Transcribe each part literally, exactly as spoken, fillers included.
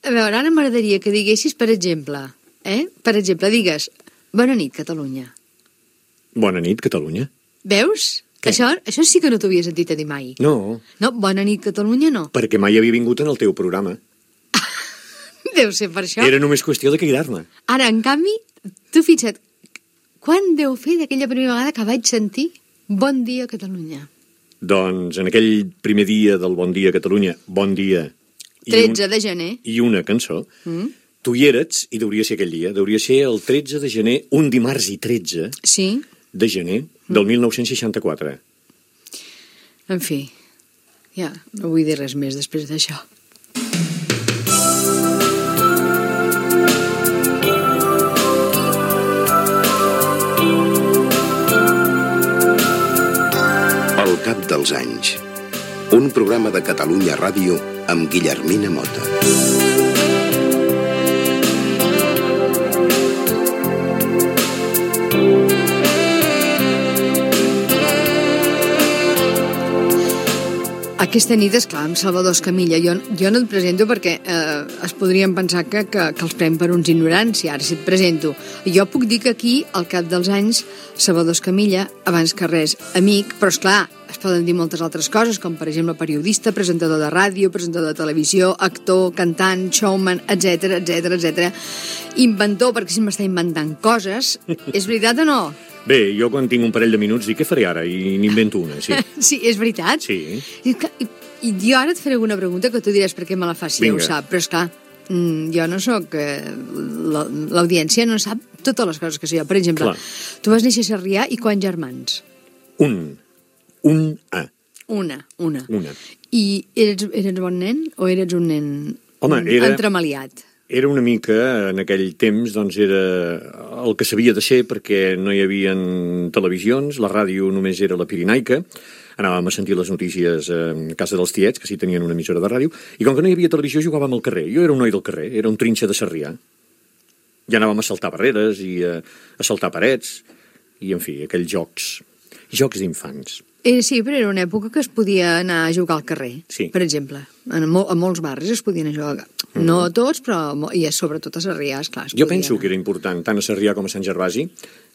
a veure, ara m'agradaria que diguessis, per exemple, eh? Per exemple, digues, bona nit, Catalunya. Bona nit, Catalunya. Veus? Això, això sí que no t'ho havia sentit a dir mai. No. No, bona nit, Catalunya, no. Perquè mai havia vingut en el teu programa. Deu ser per això. Era només qüestió de cridar-me. Ara, en canvi, tu fixa't, quan deu fer d'aquella primera vegada que vaig sentir bon dia, Catalunya? Doncs en aquell primer dia del Bon dia, Catalunya, bon dia... tretze de gener. I una cançó. Mm. Tu hi eres, i deuria ser aquell dia, deuria ser el tretze de gener, un dimarts i tretze sí. de gener del mm. mil nou-cents seixanta-quatre. En fi, ja, no vull dir res més després d'això. El cap dels anys. Un programa de Catalunya Ràdio amb Guillermina Mota. Aquesta nit, esclar, amb Salvador Escamilla. Jo, jo no et presento perquè eh, es podrien pensar que, que, que els pren per uns ignorants, i ara si et presento. Jo puc dir que aquí, al cap dels anys, Salvador Escamilla, abans que res, amic, però esclar, es poden dir moltes altres coses, com per exemple periodista, presentador de ràdio, presentador de televisió, actor, cantant, showman, etcètera, etcètera, etcètera. Inventor, perquè si m'està inventant coses. És veritat o no? Bé, jo quan tinc un parell de minuts dic què faré ara i n'invento una, sí. Sí, és veritat? Sí. I, i, I jo ara et faré alguna pregunta que tu diràs per què me la fas, si ja ho sap, però esclar, jo no sóc... L'audiència no sap totes les coses que sé jo. Per exemple, clar. Tu vas néixer a Sarrià i quants germans? Un. Un A. Una, una. Una. I eres, eres bon nen o eres un nen Home, era... entremaliat? Era una mica, en aquell temps, doncs era el que s'havia de ser perquè no hi havia televisions, la ràdio només era la Pirinaica, anàvem a sentir les notícies a casa dels tiets, que sí tenien una emissora de ràdio, i com que no hi havia televisió jugàvem al carrer. Jo era un noi del carrer, era un trinxa de Sarrià. Ja anàvem a saltar barreres i a, a saltar parets, i en fi, aquells jocs, jocs d'infants. Eh, sí, però era una època que es podia anar a jugar al carrer, sí. Per exemple. En mol, a molts barris es podien jugar. Mm. No a tots, però i sobretot a Sarrià, esclar. Jo podia... penso que era important, tant a Sarrià com a Sant Gervasi,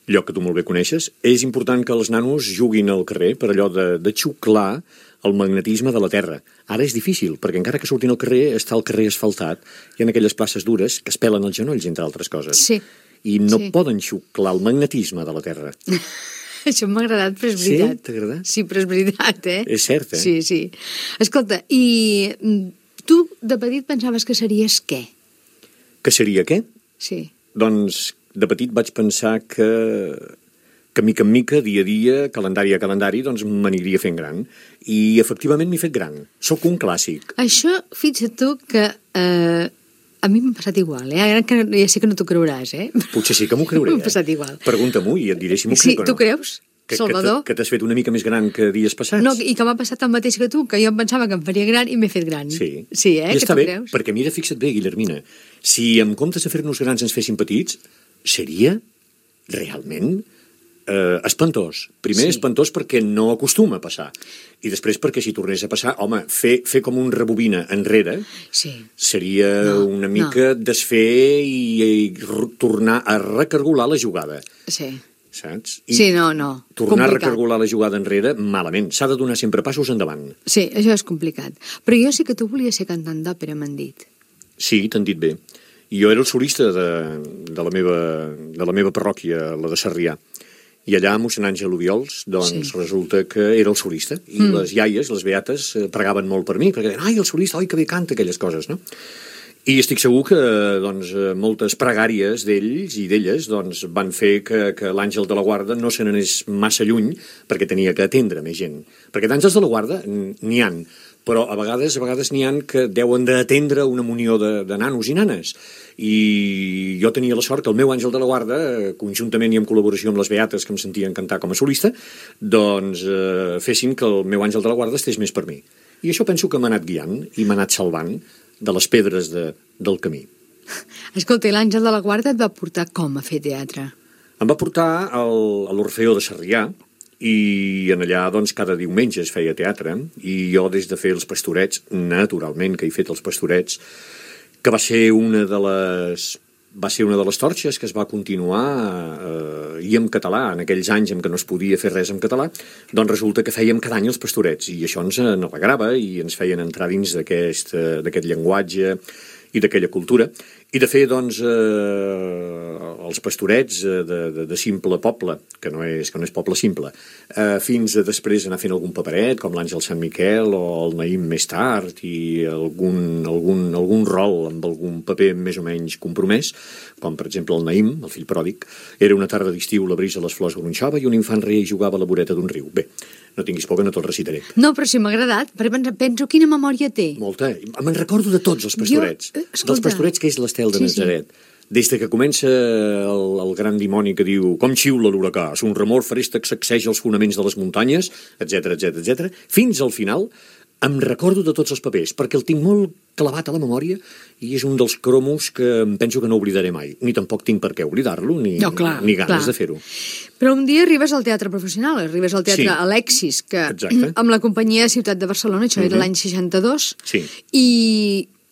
lloc que tu molt bé coneixes, és important que els nanos juguin al carrer per allò de, de xuclar el magnetisme de la terra. Ara és difícil, perquè encara que surtin al carrer, està el carrer asfaltat, hi ha aquelles places dures que es pelen els genolls, entre altres coses. Sí. I no sí. poden xuclar el magnetisme de la terra. Això m'ha agradat, però és veritat. Sí? T'ha agradat? Sí, però és veritat, eh? És cert, eh? Sí, sí. Escolta, i tu de petit pensaves que series què? Que seria què? Sí. Doncs de petit vaig pensar que, que mica en mica, dia a dia, calendari a calendari, doncs m'aniria fent gran. I efectivament m'he fet gran. Sóc un clàssic. Això, fixa't tu que... Eh, a mi m'ha passat igual, eh? Ara que ja sé que no t'ho creuràs, eh? Potser sí que m'ho creuré, eh? M'ha passat igual. Pregunta-m'ho i et diré si m'ho sí, crec o no. Sí, tu creus, que, Salvador? Que t'has fet una mica més gran que dies passats. No, i que m'ha passat el mateix que tu, que jo em pensava que em faria gran i m'he fet gran. Sí. Sí, eh? I que està tu bé, creus? perquè mira, fixa't bé, Guillermina, si en comptes de fer-nos grans ens fessin petits, seria realment eh, espantós. Primer sí. espantós perquè no acostuma a passar. I després perquè si tornés a passar, home, fer, fer com un rebobina enrere sí. seria no, una mica no. desfer i, i tornar a recargolar la jugada. Sí. Saps? I sí, no, no. Tornar complicat. a recargolar la jugada enrere, malament. S'ha de donar sempre passos endavant. Sí, això és complicat. Però jo sí que tu volies ser cantant d'òpera, m'han dit. Sí, t'han dit bé. Jo era el solista de, de, la meva, de la meva parròquia, la de Sarrià. I allà, a mossèn Àngel Obiols, doncs sí. resulta que era el solista. I mm. les iaies, les beates, pregaven molt per mi, perquè deien, ai, el solista, oi, que bé canta, aquelles coses, no? I estic segur que doncs, moltes pregàries d'ells i d'elles doncs, van fer que, que l'Àngel de la Guarda no se n'anés massa lluny perquè tenia que atendre més gent. Perquè d'àngels de la Guarda n'hi han, però a vegades a vegades n'hi han que deuen d'atendre una munió de, de nanos i nanes. I jo tenia la sort que el meu àngel de la guarda, conjuntament i en col·laboració amb les beates que em sentien cantar com a solista, doncs eh, fessin que el meu àngel de la guarda estés més per mi. I això penso que m'ha anat guiant i m'ha anat salvant de les pedres de, del camí. Escolta, i l'àngel de la guarda et va portar com a fer teatre? Em va portar al, a l'Orfeó de Sarrià, i en allà doncs cada diumenge es feia teatre, i jo des de fer els pastorets, naturalment que he fet els pastorets, que va ser una de les... va ser una de les torxes que es va continuar eh, i en català, en aquells anys en què no es podia fer res en català, doncs resulta que fèiem cada any els pastorets, i això ens alegrava i ens feien entrar dins d'aquest d'aquest llenguatge i d'aquella cultura. I de fer, doncs, eh, els pastorets de, de, de simple poble, que no és, que no és poble simple, eh, fins a després anar fent algun paperet, com l'Àngel Sant Miquel o el Naïm més tard, i algun, algun, algun rol amb algun paper més o menys compromès, com per exemple el Naïm, el fill pròdig. Era una tarda d'estiu, la brisa a les flors gronxava i un infant reia i jugava a la voreta d'un riu. Bé, no tinguis por que no te'l recitaré. No, però si m'ha agradat, perquè penso quina memòria té. Molta. Me'n recordo de tots els pastorets. Jo, dels pastorets que és l'Estel de sí, Nazaret. Sí. Des de que comença el, el gran dimoni que diu com xiula l'huracà, un remor feresta que sacseja els fonaments de les muntanyes, etc etc etc, fins al final em recordo de tots els papers, perquè el tinc molt clavat a la memòria i és un dels cromos que em penso que no oblidaré mai. Ni tampoc tinc per què oblidar-lo, ni, no, clar, ni ganes clar. de fer-ho. Però un dia arribes al teatre professional, arribes al teatre sí. Alexis, que Exacte. amb la companyia de Ciutat de Barcelona, això uh-huh. era l'any seixanta-dos, sí. i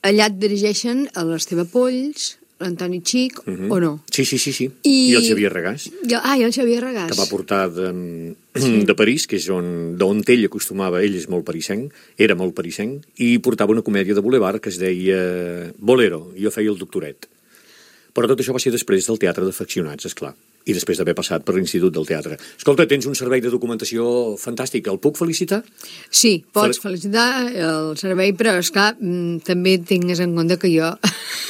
allà et dirigeixen a l'Esteve Polls, l'Antoni Xic, uh-huh. o no? Sí, sí, sí, sí. I, I el Xavier Regàs. I, ah, i el Xavier Regàs. Que va portar de, sí. de París, que és on, d'on ell acostumava, ell és molt parisenc, era molt parisenc, i portava una comèdia de boulevard que es deia Bolero, i jo feia el doctoret. Però tot això va ser després del teatre d'afeccionats, esclar, i després d'haver passat per l'Institut del Teatre. Escolta, tens un servei de documentació fantàstic, el puc felicitar? Sí, pots Fel... felicitar el servei, però, esclar, també tingues en compte que jo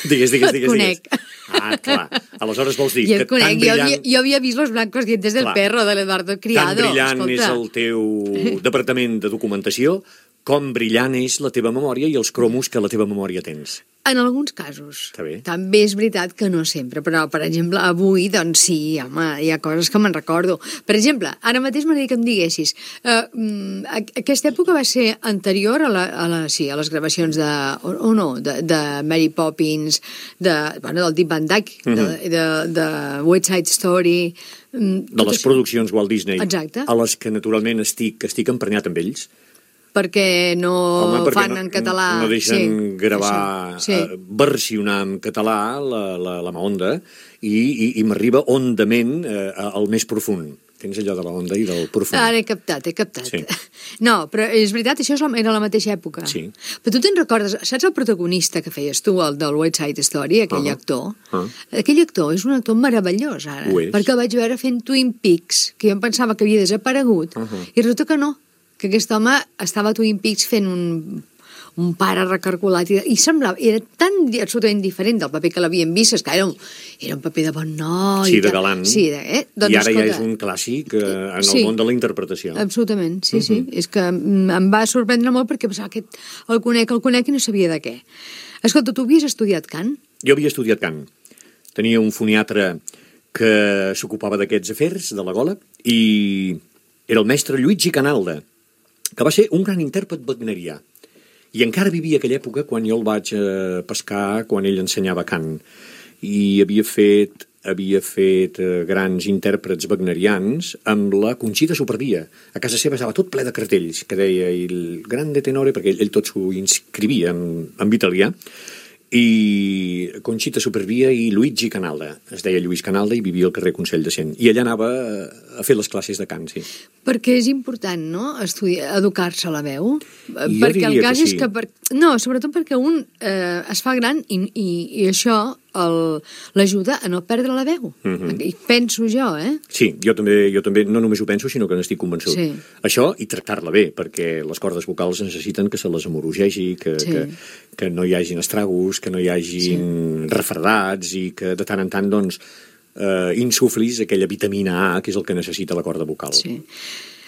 digues, digues, digues, et conec. Digues. Ah, clar. Aleshores vols dir jo que conec. tan brillant... Jo havia, jo havia vist Los blancos dientes del clar. perro, de l'Eduardo Criado. Tan brillant Escolta. és el teu departament de documentació com brillant és la teva memòria i els cromos que la teva memòria tens. En alguns casos. Està bé. També és veritat que no sempre, però, per exemple, avui, doncs sí, home, hi ha coses que me'n recordo. Per exemple, ara mateix m'agradaria que em diguessis, eh, aquesta època va ser anterior a, la, a, la, sí, a les gravacions de, o, o no, de, de Mary Poppins, de, bueno, del Deep Van Dyke, uh-huh. de, de, de West Side Story... De les produccions Walt Disney. Exacte. A les que, naturalment, estic, estic emprenyat amb ells. Perquè no Home, perquè fan no, en català. No deixen sí, gravar, sí. Uh, versionar en català la, la, la Mahonda i, i, i m'arriba hondament uh, al més profund. Tens allò de la onda i del profund. Ara he captat, he captat. Sí. No, però és veritat, això era la mateixa època. Sí. Però tu te'n recordes, saps el protagonista que feies tu, el del West Side Story, aquell uh-huh. actor? Uh-huh. Aquell actor és un actor meravellós, ara. Ho és. Perquè el vaig veure fent Twin Peaks, que jo em pensava que havia desaparegut, uh-huh. i resulta que no, que aquest home estava a Twin Peaks fent un, un pare recargolat i, i semblava, era tan absolutament diferent del paper que l'havien vist, és que era un, era un paper de bon noi. Sí, de galant. Sí, de, eh? doncs, I ara escolta, ja és un clàssic eh, en sí, el món de la interpretació. Absolutament, sí, uh-huh. sí. És que em va sorprendre molt perquè pensava que el conec, el conec i no sabia de què. Escolta, tu havies estudiat cant? Jo havia estudiat cant. Tenia un foniatre que s'ocupava d'aquests afers de la gola i era el mestre Luigi Canalda, que va ser un gran intèrpret wagnerià. I encara vivia aquella època quan jo el vaig eh, pescar, quan ell ensenyava cant. I havia fet, havia fet eh, grans intèrprets wagnerians amb la Conxita Supervia. A casa seva estava tot ple de cartells que deia il grande tenore, perquè ell, ell tot s'ho inscrivia en, en italià. I Conxita Supervia i Luigi Canalda. Es deia Lluís Canalda i vivia al carrer Consell de Cent. I allà anava a fer les classes de cant, sí. Perquè és important, no?, estudiar, educar-se a la veu. Jo perquè el cas que sí. és que... Per... No, sobretot perquè un eh, es fa gran i, i, i això l'ajuda a no perdre la veu. Uh-huh. I penso jo, eh? Sí, jo també, jo també no només ho penso, sinó que n'estic convençut. Sí. Això i tractar-la bé, perquè les cordes vocals necessiten que se les amorogegi, que, sí. que, que no hi hagin estragos, que no hi hagin sí. refredats i que de tant en tant, doncs, eh, insuflis aquella vitamina A, que és el que necessita la corda vocal. Sí.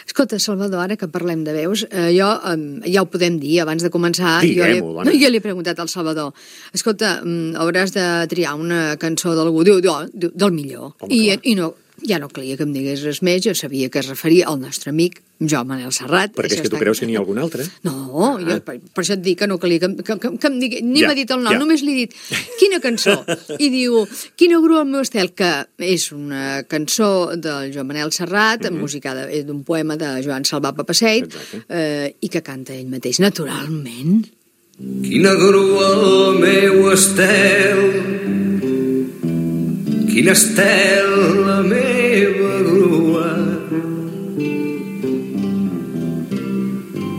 Escolta, Salvador, ara que parlem de veus, eh, jo, eh, ja ho podem dir, abans de començar, Diguem-ho, jo, li, jo li he preguntat al Salvador, escolta, mm, hauràs de triar una cançó d'algú, diu, diu, del millor, Home, i, i no, ja no calia que em digués res més, jo sabia que es referia al nostre amic, Joan Manel Serrat. Perquè és que tu creus que n'hi ha algun altre? No, ah. jo, per, per això et dic que no calia que, que, que, que em digui, ni ja, m'ha dit el nom, ja. Només li he dit, quina cançó? I diu, quina grua al meu estel, que és una cançó del Joan Manel Serrat, mm-hmm. musicada d'un poema de Joan Salvà Papaseit, eh, i que canta ell mateix, naturalment. Quina grua el meu estel, quin estel la meva grua,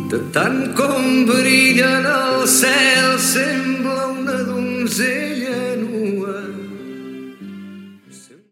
de tant com brilla en el cel sempre